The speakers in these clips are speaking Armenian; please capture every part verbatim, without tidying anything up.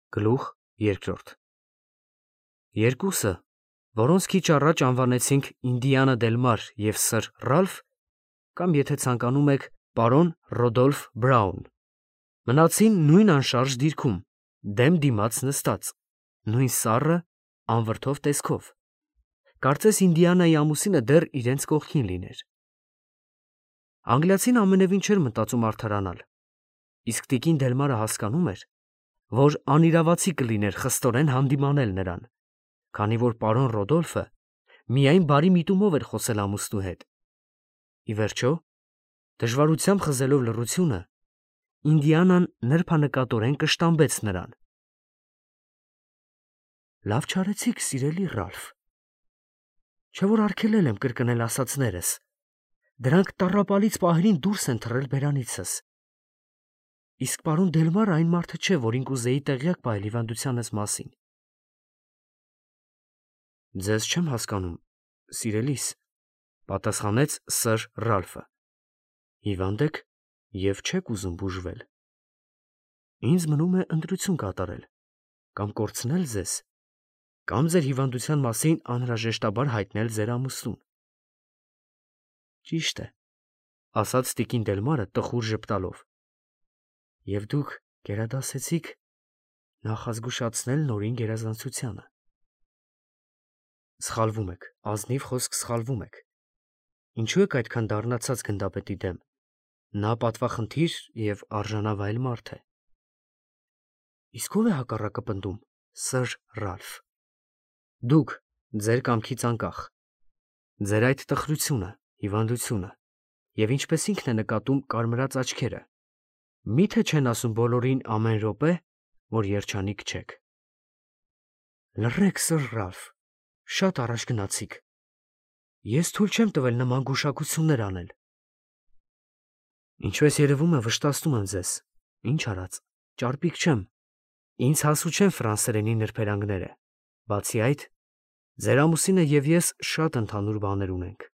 Գլուխ երկրորդ Երկուսը, որոնց քիչ առաջ անվանեցինք Ինդիանա դել Մար և սըր Ռալֆ, կամ եթե ցանկանում եք պարոն Ռոդոլֆ Բրաուն, մնացին նույն անշարժ դիրքում, դեմ դիմաց նստած, նույն սառը, անվրդով տեսքով, կարծես Ինդիանայի ամուսինը դեռ իրենց կողքին լիներ։ Անգլիացին ամենևին չէր մտածում արդարանալ, իսկ տիկին Դելմարը հասկանում էր, որ անիրավացի կլիներ խստորեն հանդիմանել նրան, քանի որ պարոն Ռոդոլֆը միայն բարի միտումով էր խոսել ամուսնու հետ։ Ի վերջո, դժվարությամբ խզելով լռությունը, Ինդիանան նրբանկատորեն կշտամբեց նրան. Լավ չարեցիք, սիրելի Ռալֆ, չէ՞ որ արգելել եմ կրկնել ասածներս, դրանք տառապալից պահերին դուրս են թռել բերանիցս։ Իսկ պարոն Դելմարը այն մարդը չէ, որին կուզեի տեղյակ պահել հիվանդությանս մասին։ Ձեզ չեմ հասկանում, սիրելիս, պատասխանեց սըր Ռալֆը։ Հիվանդ եք և չեք ուզում բուժվել։ Ինձ մնում է ընտրություն կատարել, կամ կորցնել ձեզ, կամ ձեր հիվանդության մասին անհրաժեշտաբար հայտնել ձեր ամուսնուն։ Ճիշտ է, ասաց տիկին Դելմարը տխուր ժպտալով։ Եվ դուք գերադասեցիք նախազգուշացնել նորին գերազանցությանը։ Սխալվում եք, ազնիվ խոսք սխալվում եք։ Ինչու եք այդքան դառնացած գնդապետի դեմ։ Նա պատվախնդիր և արժանավայել մարդ է։ Իսկ ո՞վ է հակառակը պնդում, սըր Ռալֆ։ Դուք, ձեր կամքից անկախ։ Ձեր այդ տխրությունը, հիվանդությունը, և ինչպես ինքն է նկատում կարմրած աչքերը, մի՞թե չեն ասում բոլորին ամեն րոպե, որ երջանիկ չեք։ Լռեք, սըր Ռալֆ, շատ առաջ գնացիք։ Ես թույլ չեմ տվել նման գուշակություններ անել։ Ինչպես երևում է, վշտացնում եմ ձեզ, ինչ արած, ճարպիկ չեմ, ինձ հասու չեն ֆրանսերենի նրբերանգները, բացի այդ, ձեր ամուսինը և ես շատ ընդհանուր բաներ ունենք։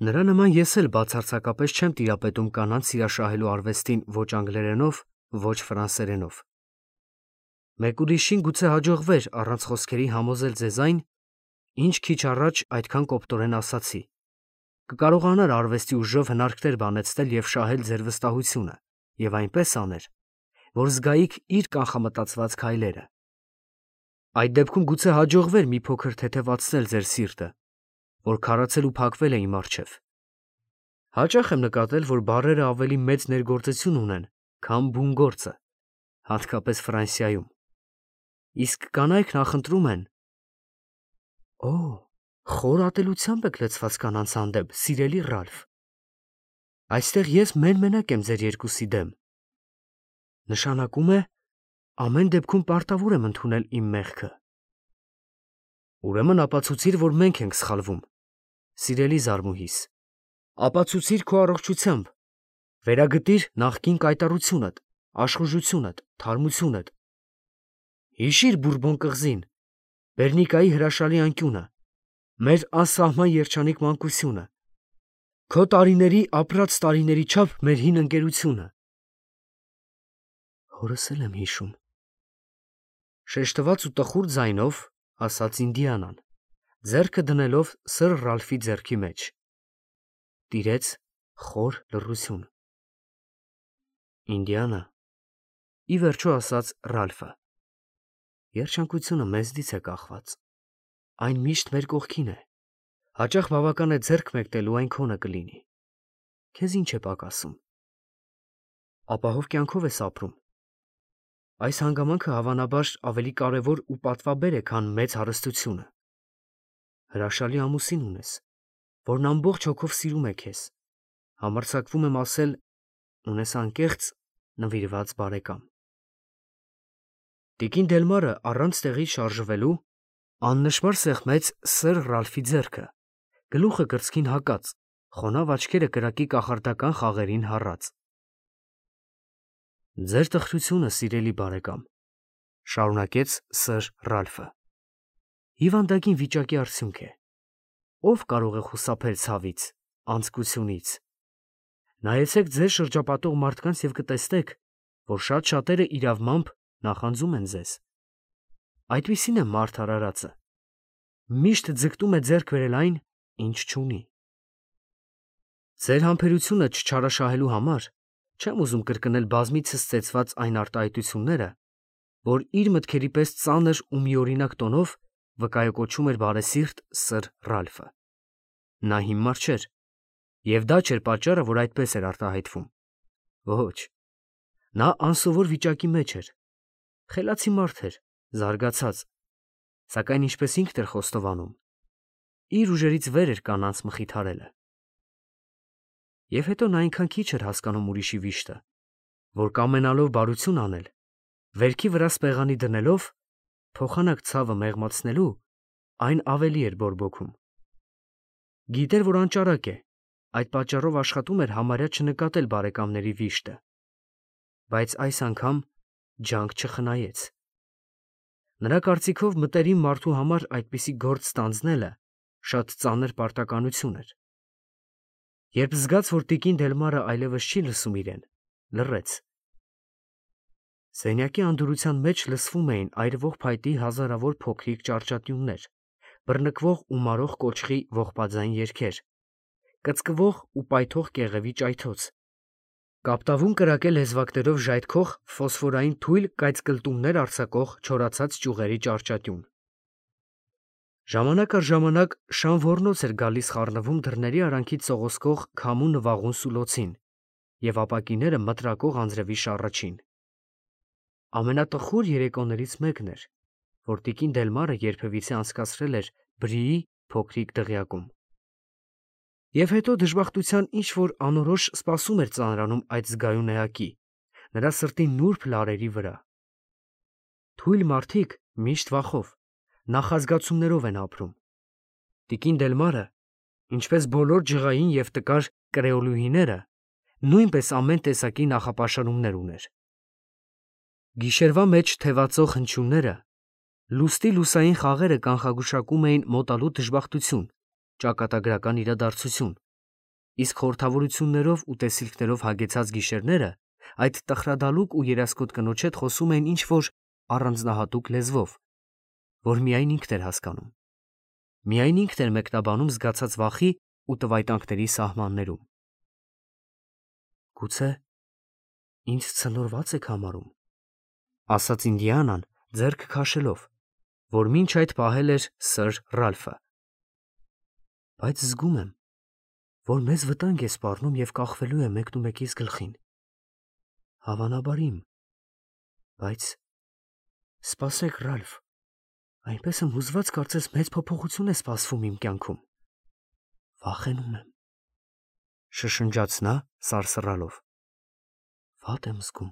Նրա նման ես էլ բացարձակապես չեմ տիրապետում կանանց սիրաշահելու արվեստին ոչ անգլերենով, ոչ ֆրանսերենով։ Մեկ ուրիշին գուցե հաջողվեր առանց խոսքերի համոզել ձեզ այն, ինչ քիչ առաջ այդքան կոպտորեն ասացի, կկարողանար արվեստի ուժով հնարքներ բանեցնել և շահել ձեր վստահությունը և այնպես աներ, որ զգայիք իր կանխամտածված քայլերը։ Այդ դեպքում գուցե հաջողվեր մի փոքր թեթևացնել ձեր սիրտը, որ քարացել ու փակվել է իմ առջև։ Հաճախ եմ նկատել, որ բառերը ավելի մեծ ներգործություն ունեն, քան բուն գործը, հատկապես Ֆրանսիայում։ Իսկ կանայք նախընտրում են։ Օ, խոր ատելությամբ եք լցված կանանց հանդեպ, սիրելի Ռալֆ։ Այստեղ ես մեն֊մենակ եմ ձեր երկուսի դեմ։ Նշանակում է, ամեն դեպքում պարտավոր եմ ընդունել իմ մեղքը։ Ուրեմն ապացուցիր, որ մենք ենք սխալվում, սիրելի զարմուհիս, ապացուցիր քո առողջությամբ, վերագտիր նախկին կայտառությունդ, աշխուժությունդ, թարմությունդ։ Հիշիր Բուրբոն կղզին, Բերնիկայի հրաշալի անկյունը, մեր անսահման երջանիկ մանկությունը, քո տարիների ապրած տարիների չափ մեր հին ընկերությունը։ Հորս էլ եմ հիշում, շեշտված ու տխուր ձայնով ասաց Ինդիանան, ձեռքը դնելով սըր Ռալֆի ձեռքի մեջ։ Տիրեց խոր լռություն։ Ինդիանա, ի վերջո ասաց Ռալֆը, երջանկությունը մեզնից է կախված, այն միշտ մեր կողքին է, հաճախ բավական է ձեռք մեկնելու այն քոնը կլինի, քեզ ինչ է պակասում։ Ապահով կյանքով ես ապրում։ Այս հանգամանքը հավանաբար ավելի կարևոր ու պատվաբեր է, քան մեծ հարստությունը։ Հրաշալի ամուսին ունես, որն ամբողջ հոգով սիրում է քեզ, համարձակվում եմ ասել, ունես անկեղծ, նվիրված բարեկամ։ Տիկին Դելմարը առանց տեղից շարժվելու աննշմար սեղմեց սըր Ռալֆի ձեռքը, գլուխը կրծքին հակած, խոնավ աչքերը կրակի կախարդական խաղերին հառած։ Ձեր տխրությունը, սիրելի բարեկամ, շարունակեց սըր Ռալֆը, հիվանդագին վիճակի արդյունք է։ Ո՞վ կարող է խուսափել ցավից, անձկությունից։ Նայեցեք ձեզ շրջապատող մարդկանց և կտեսնեք, որ շատ շատերը իրավմամբ նախանձում են ձեզ։ Այդպիսին է մարդ արարածը, միշտ ձգտում է ձեռք բերել այն, ինչ չունի։ Ձեր համբերությունը չչարաշահելու համար չեմ ուզում կրկնել բազմիցս ծեծված այն արտահայտությունները, որ իր մտքերի պես ծանր ու միօրինակ տոնով վկայակոչում էր բարեսիրտ սըր Ռալֆը։ Նա հիմար չէր, և դա չէր պատճառը, որ այդպես էր արտահայտվում։ Ոչ, նա անսովոր վիճակի մեջ էր, խելացի մարդ էր, զարգացած, սակայն ինչպես ինքն էր խոստովանում, իր ուժերից վեր էր կանանց մխիթարելը։ Եվ հետո նա այնքան քիչ էր հասկանում ուրիշի վիշտը, որ կամենալով բարություն անել, վերքի վրա սպեղանի դնելով, փոխանակ ցավը մեղմացնելու, այն ավելի էր բորբոքում։ Գիտեր, որ անճարակ է, այդ պատճառով աշխատում էր համարյա չնկատել բարեկամների վիշտը, բայց այս անգամ ջանք չխնայեց։ Նրա կարծիքով մտերիմ մարդու համար այդպիսի գործ ստանձնելը շատ ծանր պարտականություն էր։ Երբ զգաց, որ տիկին Դելմարը այլևս չի լսում իրեն, լռեց։ Սենյակի անդորության մեջ լսվում էին այրվող փայտի հազարավոր փոքրիկ ճարճատյուններ, բռնկվող ու մարող կոճղի ողբաձայն երգեր, կծկվող ու պայթող կեղևի ճայթոց, կապտավուն կրակե լեզվակներով ժայթքող ֆոսֆորային թույլ կայծկլտումներ արձակող չորացած ճյուղերի ճարճատյուն։ Ժամանակ առ ժամանակ շան ոռնոց էր գալիս խառնվում դռների արանքից սողոսկող քամու նվաղուն սուլոցին և ապակիները մտրակող անձրևի շառաչին։ Ամենատխուր երեկոներից մեկն էր, որ տիկին Դելմարը երբևիցե անցկացրել էր Բրիի փոքրիկ դղյակում։ Եվ հետո դժբախտության ինչ-որ անորոշ սպասում էր ծանրանում այդ զգայուն էակի, նրա սրտի նուրբ լարերի վրա։ Թույլ մարդիկ միշտ վախով, նախազգացումներով են ապրում։ Տիկին Դելմարը, ինչպես բոլոր ջղային և տկար կրեոլուհիները, նույնպես ամեն տեսակի նախապաշարումներ ուներ։ Գիշերվա մեջ թևածող հնչյունները, լուստի լուսային խաղերը կանխագուշակում էին մոտալուտ դժբախտություն, ճակատագրական իրադարձություն, իսկ խորհրդավորություններով ու տեսիլքներով հագեցած գիշերները այդ տխրադալուկ ու երասկոտ կնոջ հետ խոսում էին ինչ-որ առանձնահատուկ լեզվով, որ միայն ինքն էր հասկանում, միայն ինքն էր մեկնաբանում զգացած վախի ու տվայտանքների սահմաններում։ Գուցե ինձ ցնորված եք համարում, ասաց Ինդիանան ձեռք քաշելով, որ մինչ այդ պահել էր սըր Ռալֆը։ Բայց զգում եմ, որ մեզ վտանգ է սպառնում և կախվելու է մեկնումեկիս գլխին։ Հավանաբար իմ, բայց սպասեք, Ռալֆ, այնպես եմ հուզված, կարծես մեծ փոփոխություն է սպասվում իմ կյանքում։ Վախենում եմ, շշնջաց նա սարսռալով։ Վատ եմ զգում։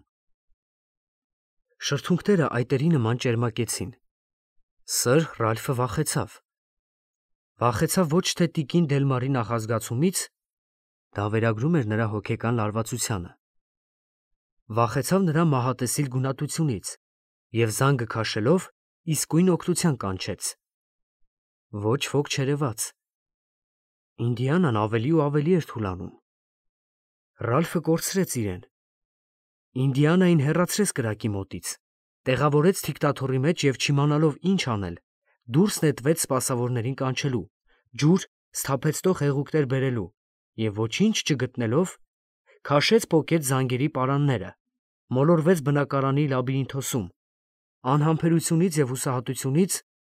Շրթունքները այտերի նման ճերմակեցին։ Սըր Ռալֆը վախեցավ։ Վախեցավ ոչ թե տիկին Դելմարի նախազգացումից, դա վերագրում էր նրա հոգեկան լարվածությանը։ Վախեցավ նրա մահատեսիլ գունատությունից և զանգը քաշելով իսկույն օգնության կանչեց։ Ոչ ոք չերևաց։ Ինդիանան ավելի ու ավելի էր թուլանում։ Ռալֆը կորցրեց իրեն։ Ինդիանային հեռացրեց կրակի մոտից, տեղավորեց թիկտաթոռի մեջ և չիմանալով ինչ անել, դուրս նետվեց սպասավորներին կանչելու, ջուր սթափեցնող հեղուկներ բերելու և ոչինչ չգտնելով, քաշեց պոկեց զանգերի պարանները, մոլորվեց բնակարանի լաբիրինթոսում, անհամբերությունից և հուսահատությունից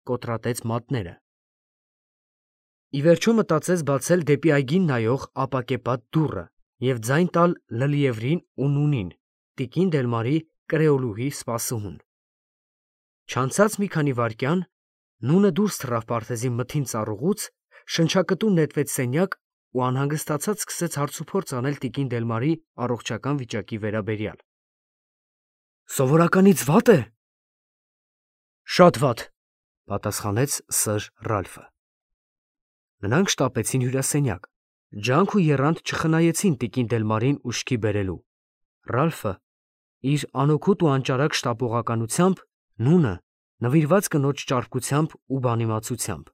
կոտրատեց մատները։ Ի վերջո մտածեց բացել դեպի այգին նայող ապակեպատ դուռը և ձայն տալ Լլիևրին ու Նունին, տիկին Դելմարի կրեոլուհի սպասուհուն։ Չանցած մի քանի վայրկյան Նունը դուրս թռավ պարտեզի մթին ծառուղուց, շնչակտու նետվեց սենյակ ու անհանգստացած սկսեց հարցուփորձ անել տիկին Դելմարի առողջական վիճակի վերաբերյալ։ Սովորականից վա՞տ է։ Շատ վատ, պատասխանեց սըր Ռալֆը։ Նրանք շտապեցին հյուրասենյակ, ջանք ու եռանդ չխնայեցին տիկին Դելմարին ուշքի բերելու։ Ռալֆը իր անօգուտ ու անճարակ շտապողականությամբ, Նունը նվիրված կնոջ ճարպկությամբ ու բանիմացությամբ։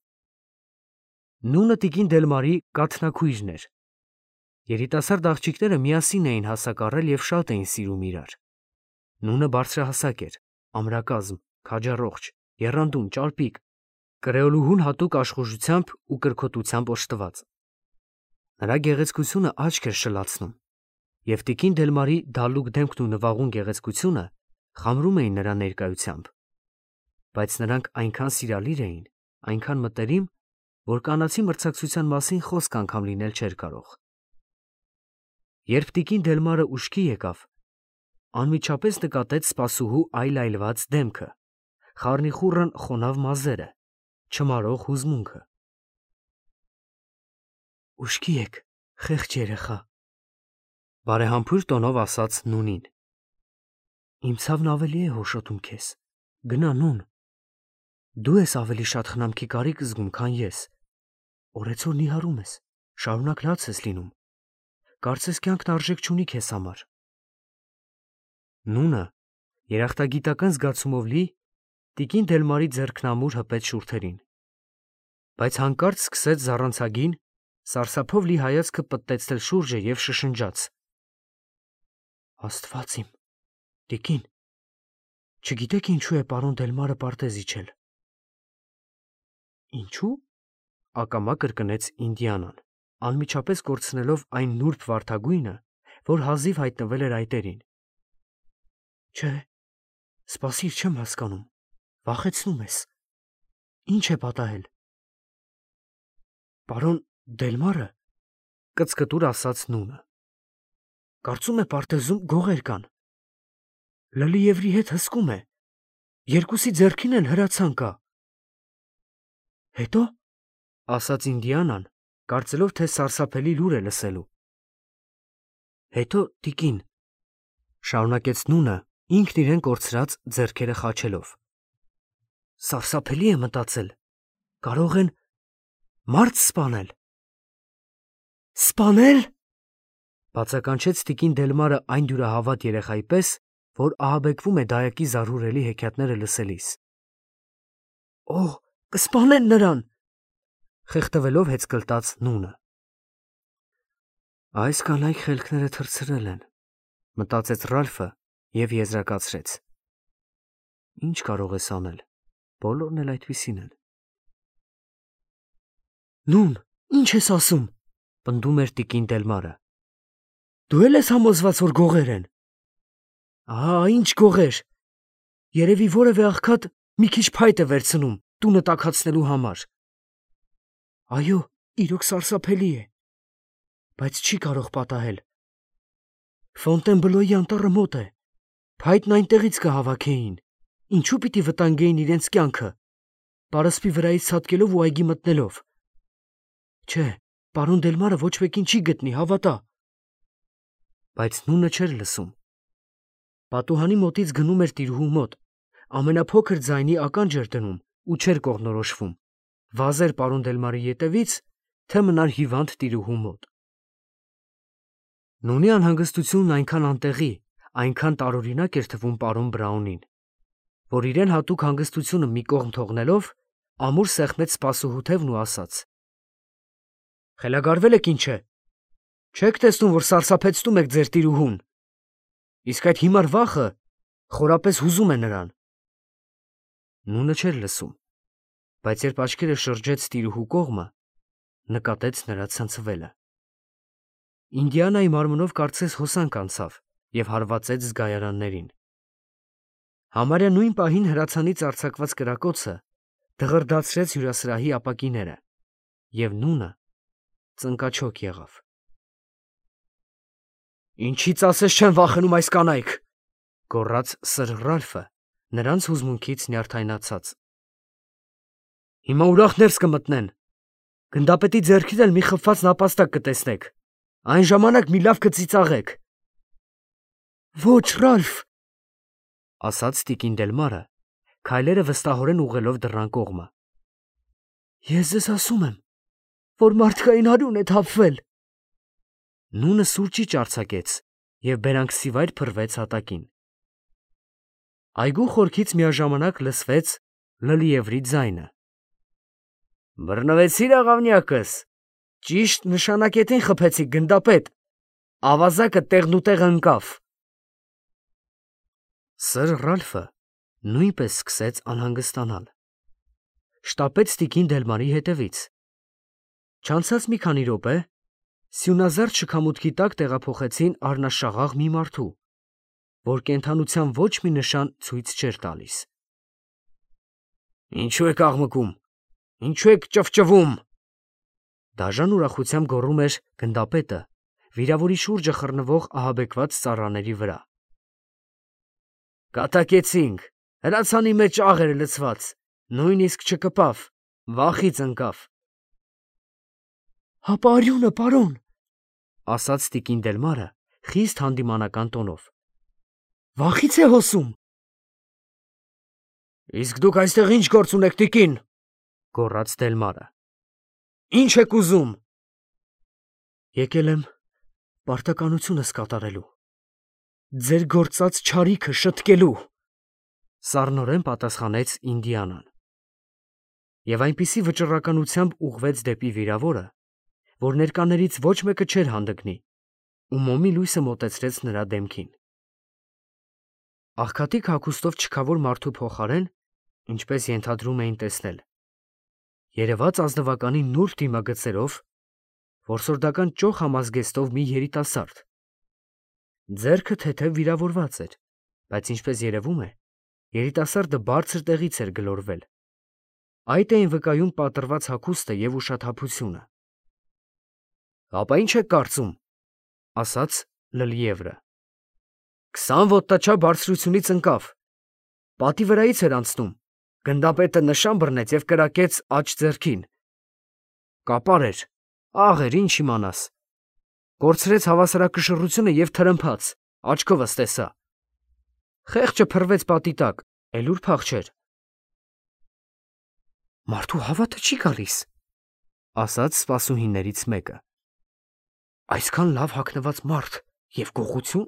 Նունը տիկին Դելմարի կաթնաքույրն էր։ Երիտասարդ աղջիկները միասին էին հասակ առել և շատ էին սիրում իրար։ Նունը բարձրահասակ էր, ամրակազմ, քաջառողջ, եռանդուն, ճարպիկ, կրեոլուհուն հատուկ աշխուժությամբ ու կրքոտությամբ օժտված։ Նրա գեղեցկությունը աչք էր շլացնում, և տիկին Դելմարի դալուկ դեմքն ու նվաղուն գեղեցկությունը խամրում էին նրա ներկայությամբ, բայց նրանք այնքան սիրալիր էին, այնքան մտերիմ, որ կանացի մրցակցության մասին խոսք անգամ լինել չէր կարող։ Երբ տիկին Դելմարը ուշքի եկավ, անմիջապես նկատեց սպասուհու այլ-այլված դեմքը, խառնիխուռն խոնավ մազերը, չմարող հուզմունքը։ Ուշքի եք, խեղճ երեխա, բարեհամբույր տոնով ասաց Նունին։ Իմ ցավն ավելի է հոշոտում քեզ, գնա Նուն, դու ես ավելի շատ խնամքի կարիք զգում, քան ես, օրեցօր նիհարում ես, շարունակ լաց ես լինում, կարծես կյանքն արժեք չունի քեզ համար։ Նունը երախտագիտական զգացումով լի տիկին Դելմարի ձեռքն ամուր հպեց շուրթերին, բայց հանկարծ սկսեց զառանցագին, սարսափով լի հայացքը պտտեցնել շուրջը և շշնջաց. Աստված իմ, տիկին, չգիտեք ինչու է պարոն Դելմարը պարտեզ իջել։ Ինչու՞, ակամա կրկնեց Ինդիանան, անմիջապես կորցնելով այն նուրբ վարդագույնը, որ հազիվ հայտնվել էր այտերին։ Չէ, սպասիր, չեմ հասկանում, վախեցնում ես։ Ինչ է պատահել։ Պարոն Դելմարը, կծկտուր ասաց Նունը, կարծում է պարտեզում գողեր կան։ Լլիևրի հետ հսկում է, երկուսի ձեռքին էլ հրացան կա։ Հետո, ասաց Ինդիանան, կարծելով, թե սարսափելի լուր է լսելու։ Հետո, տիկին, շարունակեց Նունը, ինքն իրեն կորցրած ձեռքերը խաչելով։ Սարսափելի է մտածել, կարող են մարդ սպանել։ Սպանել, բացականչեց տիկին Դելմարը այն դյուրահավատ երեխայի պես, որ ահաբեկվում է դայակի զարհուրելի հեքիաթները լսելիս։ Օհ, կսպանեն նրան, խեղդվելով հեծկլտաց Նունը։ Այս կանայք խելքները թռցրել են, մտածեց Ռալֆը և եզրակացրեց. Ինչ կարող ես անել, բոլորն էլ այդպիսին են։ Նուն, ինչ ես ասում, պնդում էր տիկին Դելմարը։ Դու էլ ես համոզված, որ գողեր են։ Ահա, ինչ գողեր։ Երևի որևէ աղքատ մի քիչ փայտ է վերցնում տունը տաքացնելու համար։ Այո, իրոք սարսափելի է, բայց չի կարող պատահել։ Ֆոնտենբլոյի անտառը մոտ է, փայտն այնտեղից կհավաքեին, ինչու պիտի վտանգեին իրենց կյանքը, պարսպի վրայից ցատկելով ու այգի մտնելով։ Չէ, պարոն Դելմարը ոչ մեկին չի գտնի, հավատա։ Բայց Նունը չէր լսում։ Պատուհանի մոտից գնում էր տիրուհու մոտ, ամենափոքր ձայնի ականջ էր դնում ու չէր կողնորոշվում, վազեր պարոն Դելմարի ետևից, թե մնար հիվանդ տիրուհու մոտ։ Նունի անհանգստությունն այնքան անտեղի, այնքան տարօրինակ էր թվում պարոն Բրաունին, որ իրեն հատուկ հանգստությունը մի կողմ թողնելով, ամուր սեղմեց սպասուհու թևն ու ասաց. Խելագարվել եք ինչ է։ Չեք տեսնում, որ սարսափեցնում եք ձեր տիրուհուն։ Իսկ այդ հիմար վախը խորապես հուզում է նրան։ Նունը չէր լսում, բայց երբ աչքերը շրջեց տիրուհու կողմը, նկատեց նրա ցնցվելը։ Ինդիանայի մարմնով կարծես հոսանք անցավ և հարվածեց զգայարաններին։ Համարյա նույն պահին հրացանից արձակված կրակոցը դղրդացրեց հյուրասրահի ապակիները, և Նունը ծնկաչոք եղավ։ Ինչից ասես չեն վախենում այս կանայք, գոռաց Սր Ռալֆը, նրանց հուզմունքից նյարդայնացած։ Հիմա ուրախ ներս կմտնեն, գնդապետի ձեռքին էլ մի խփված նապաստակ կտեսնեք, այն ժամանակ մի լավ կծիծաղեք։ Ոչ, Ռալֆ, ասաց տիկին Դելմարը, քայլերը վստահորեն ուղղելով դռան կողմը։ Ես ձեզ ասում եմ, որ մարդկային արյուն է թափվել։ Նունը սուրճիչ արձակեց և բերանքսիվայր փռվեց հատակին։ Այգու խորքից միաժամանակ լսվեց Լլիևրի ձայնը։ Բռնվեցի՞ր աղավնյակս, ճիշտ նշանակետին խփեցիք, գնդապետ, ավազակը տեղնուտեղ ընկավ։ Սր Ռալֆը նույնպես սկսեց անհանգստանալ։ Շտապեց տիկին Դելմարի հետևից։ Չանցած մի քանի րոպե սյունազարդ շքամուտքի տակ տեղափոխեցին առնաշաղաղ մի մարդու, որ կենդանության ոչ մի նշան ցույց չէր տալիս։ Ինչու եք աղմկում, ինչու եք ճվճվում, դաժան ուրախությամբ գոռում էր գնդապետը, վիրավորի շուրջը խռնվող ահաբեկված ծառաների վրա։ Կատակեցինք, հրացանի մեջ աղ էր լցված, նույնիսկ չկպավ, վախից ընկավ։ Հապա արյունը, պարոն, ասաց տիկին Դելմարը խիստ հանդիմանական տոնով։ Վախից է հոսում։ Իսկ դուք այստեղ ինչ գործ ունեք, տիկին, գոռաց Դելմարը։ Ինչ եք ուզում։ Եկել եմ պարտականությունս կատարելու, ձեր գործած չարիքը շտկելու, սառնորեն պատասխանեց Ինդիանան։ Եվ այնպիսի վճռականությամբ ուղղվեց դեպի վիրավորը, որ ներկաներից ոչ մեկը չէր հանդգնի, ու մոմի լույսը մոտեցրեց նրա դեմքին։ Աղքատիկ հագուստով չքավոր մարդու փոխարեն, ինչպես ենթադրում էին տեսնել, երևաց ազնվականի նուրբ դիմագծերով, որսորդական ճոխ համազգեստով մի երիտասարդ։ Ձեռքը թեթև վիրավորված էր, բայց ինչպես երևում է, երիտասարդը բարձր տեղից էր գլորվել։ Այդ էին վկայում պատռված հագուստը և ուշաթափությունը։ Ապա ինչ եք կարծում, ասաց Լլիևրը։ Քսան ոտնաչափ բարձրությունից ընկավ, պատի վրայից էր անցնում, գնդապետը նշան բռնեց և կրակեց աջ ձեռքին։ Կապար էր, աղ էր, ինչ իմանաս, կորցրեց հավասարակշռությունը և թրմփաց, աչքովս տեսա։ Խեղճը փռվեց պատի տակ, էլ ուր փախչեր։ Մարդու հավատը չի գալիս, ասաց սպասուհիներից մեկը։ Այսքան լավ հագնված մարդ և գողություն։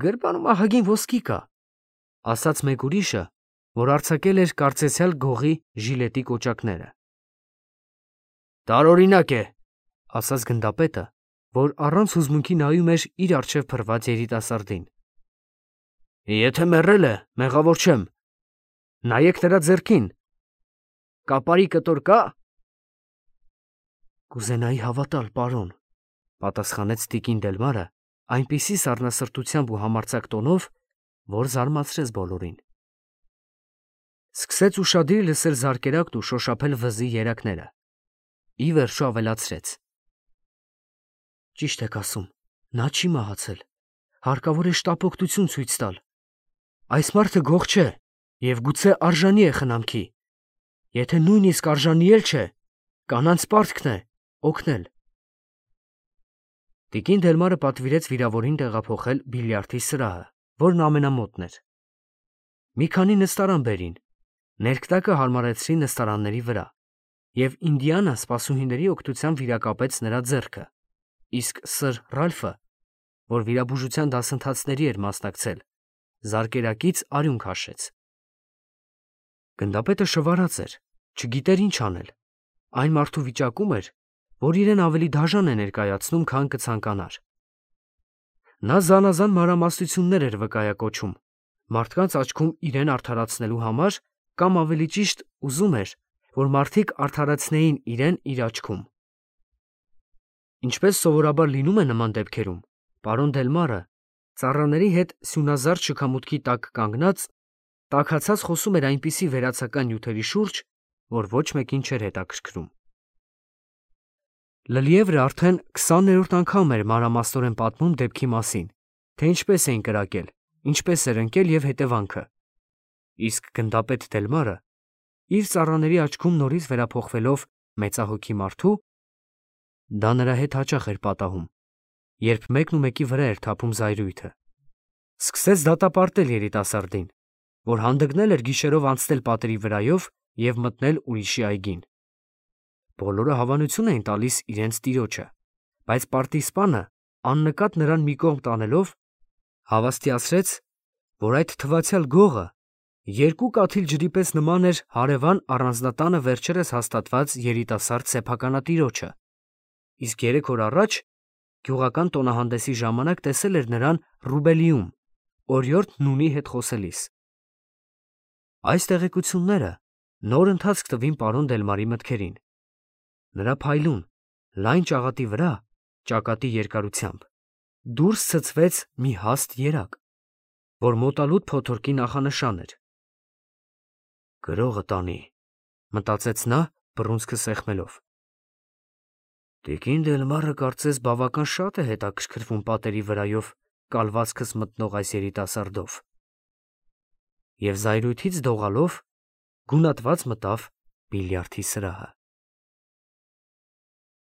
Գրպանում ահագին ոսկի կա, ասաց մեկ ուրիշը, որ արձակել էր կարծեցյալ գողի ժիլետի կոճակները։ Տարօրինակ է, ասաց գնդապետը, որ առանց հուզմունքի նայում էր իր առջև փռված երիտասարդին։ Եթե մեռել է, մեղավոր չեմ։ Նայեք նրա ձեռքին։ Կապարի կտոր կա։ Կուզենայի հավատալ, պարոն, պատասխանեց տիկին Դելմարը այնպիսի սառնասրտությամբ ու համարձակ տոնով, որ զարմացրեց բոլորին։ Սկսեց ուշադիր լսել զարկերակն ու շոշափել վզի երակները։ Ի վերջո ավելացրեց. Ճիշտ եք ասում, նա չի մահացել, հարկավոր է շտապօգնություն ցույց տալ։ Այս մարդը գող չէ և գուցե արժանի է խնամքի։ Եթե նույնիսկ արժանի էլ չէ, կանանց պարտքն է օգնել։ Տիկին Դելմարը պատվիրեց վիրավորին տեղափոխել բիլիարդի սրահը, որն ամենամոտն էր։ Մի քանի նստարան բերին, ներքտակը հարմարեցրին նստարանների վրա, և Ինդիանա սպասուհիների օգնությամբ վիրակապեց նրա ձեռքը, իսկ սըր Ռալֆը, որ վիրաբուժության դասընթացների էր մասնակցել, զարկերակից արյուն քաշեց։ Գնդապետը շվարած էր, չգիտեր ինչ անել, այն մարդու վիճակում էր, որ իրեն ավելի դաժան է ներկայացնում, քան կցանկանար։ Նա զանազան մանրամասնություններ էր վկայակոչում, մարդկանց աչքում իրեն արդարացնելու համար, կամ ավելի ճիշտ ուզում էր, որ մարդիկ արդարացնեին իրեն իր աչքում։ Ինչպես սովորաբար լինում է նման դեպքերում, պարոն Դելմարը, ծառաների հետ սյունազարդ շքամուտքի տակ կանգնած, տաքացած խոսում էր այնպիսի վերացական նյութերի շուրջ, որ ոչ մեկին չէր հետաքրքրում։ Լլիևրը արդեն քսաներորդ անգամ էր մանրամասնորեն պատմում դեպքի մասին, թե ինչպես էին կրակել, ինչպես էր ընկել և հետևանքը, իսկ գնդապետ Դելմարը, իր ծառաների աչքում նորից վերափոխվելով մեծահոգի մարդու, դա նրա հետ հաճախ էր պատահում, երբ մեկն ու մեկի վրա էր թափում զայրույթը, սկսեց դատապարտել երիտասարդին, որ հանդգնել էր գիշերով անցնել պատերի վրայով և մտնել ուրիշի այգին։ Բոլորը հավանություն էին տալիս իրենց տիրոջը, բայց պարտիզպանը, աննկատ նրան մի կողմ տանելով, հավաստիացրեց, որ այդ թվացյալ գողը երկու կաթիլ ջրի պես նման էր հարևան առանձնատանը վերջերս հաստատված երիտասարդ սեփականատիրոջը, իսկ երեք օր առաջ գյուղական տոնահանդեսի ժամանակ տեսել էր նրան Ռուբելիում, օրիորդ Նունի հետ խոսելիս։ Այս տեղեկությունները նոր ընթացք տվին պարոն Դելմարի մտքերին։ Նրա փայլուն, լայն ճաղատի վրա, ճակատի երկարությամբ, դուրս ցցվեց մի հաստ երակ, որ մոտալուտ փոթորկի նախանշան էր։ «Գրողը տանի», մտածեց նա, բռունցքը սեղմելով։ Տիկին Դելմարը կարծես բավական շատ է հետաքրքրվում պատերի վրայով կալվածքս մտնող այս երիտասարդով։ Եվ զայրույթից դողալով գունատված մտավ բիլիարդի սրահը։